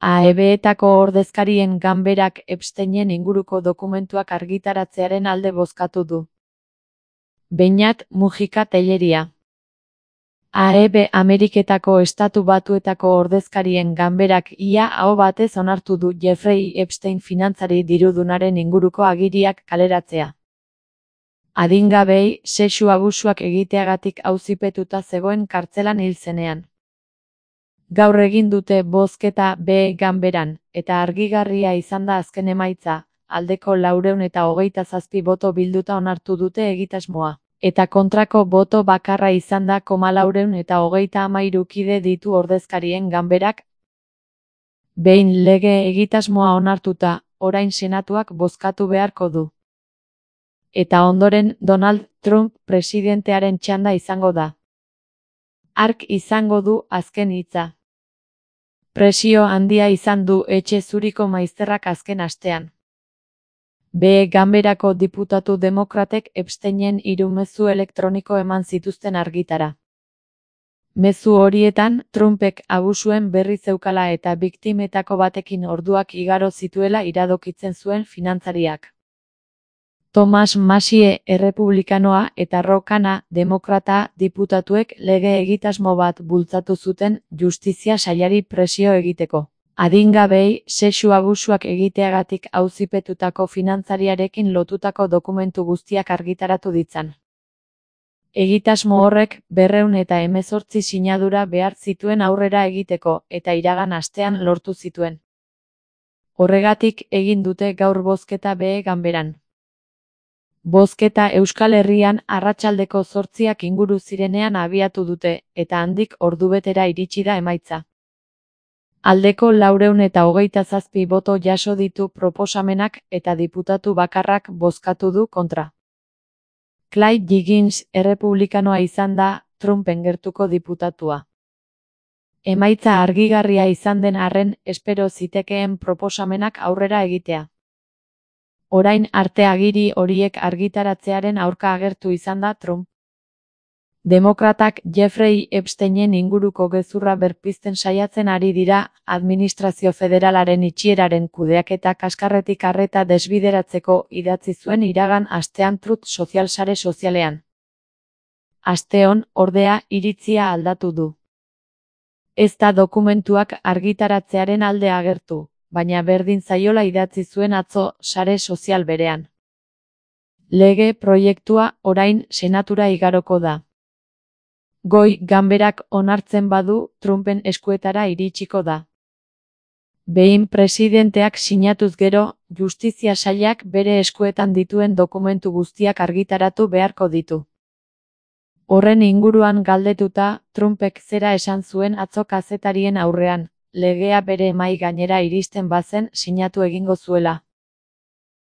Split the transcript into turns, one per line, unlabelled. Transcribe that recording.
AEB-etako ordezkarien ganberak Epsteinen inguruko dokumentuak argitaratzearen alde bozkatu du. Beñat Mujika Telleria. AEB Ameriketako Estatu Batuetako ordezkarien ganberak ia aho batez onartu du Jeffrey Epstein finantzari dirudunaren inguruko agiriak kaleratzea. Adingabei sexu abusuak egiteagatik auzipetuta zegoen kartzelan hil zenean. Gaur egin dute bozketa B ganberan, eta argigarria izan da azken emaitza, aldeko 427 boto bilduta onartu dute egitasmoa, eta kontrako boto bakarra izan da 433 kide ditu ordezkarien ganberak. Behin lege egitasmoa onartuta, orain senatuak bozkatu beharko du. Eta ondoren Donald Trump presidentearen txanda izango da. Hark izango du azken hitza. Presio handia izan du etxe zuriko maizterrak azken astean. B ganberako diputatu demokratek Epsteinen 3 mezu elektroniko eman zituzten argitara. Mezu horietan, Trumpek abusuen berri zeukala eta biktimetako batekin orduak igaro zituela iradokitzen zuen finantzariak. Thomas Massie errepublikanoa eta Ro Khanna demokrata diputatuek lege egitasmo bat bultzatu zuten justizia sailari presio egiteko. Adingabei sexu abusuak egiteagatik auzipetutako finantzariarekin lotutako dokumentu guztiak argitaratu ditzan. Egitasmo horrek 218 sinadura behar zituen aurrera egiteko eta iragan astean lortu zituen. Horregatik egin dute gaur bozketa B ganberan. Bozketa Euskal Herrian arratsaldeko 8 inguru zirenean abiatu dute, eta handik ordubetera iritsi da emaitza. Aldeko 427 boto jaso ditu proposamenak eta diputatu bakarrak bozkatu du kontra. Clay Higgins errepublikanoa izan da Trumpen gertuko diputatua. Emaitza argigarria izan den arren, espero zitekeen proposamenak aurrera egitea. Orain arte agiri horiek argitaratzearen aurka agertu izan da Trump. Demokratak Jeffrey Epsteinen inguruko gezurra berpizten saiatzen ari dira, administrazio federalaren itxieraren kudeaketa kaskarretik arreta desbideratzeko idatzi zuen iragan astean Truth Social sare sozialean. Asteon, ordea, iritzia aldatu du. Ez da dokumentuak argitaratzearen alde agertu, baina berdin zaiola idatzi zuen atzo sare sozial berean. Lege proiektua orain senatura igaroko da. Goi ganberak onartzen badu Trumpen eskuetara iritsiko da. Behin presidenteak sinatuz gero, justizia sailak bere eskuetan dituen dokumentu guztiak argitaratu beharko ditu. Horren inguruan galdetuta, Trumpek zera esan zuen atzo kazetarien aurrean, legea bere mahai gainera iristen bazen sinatu egingo zuela.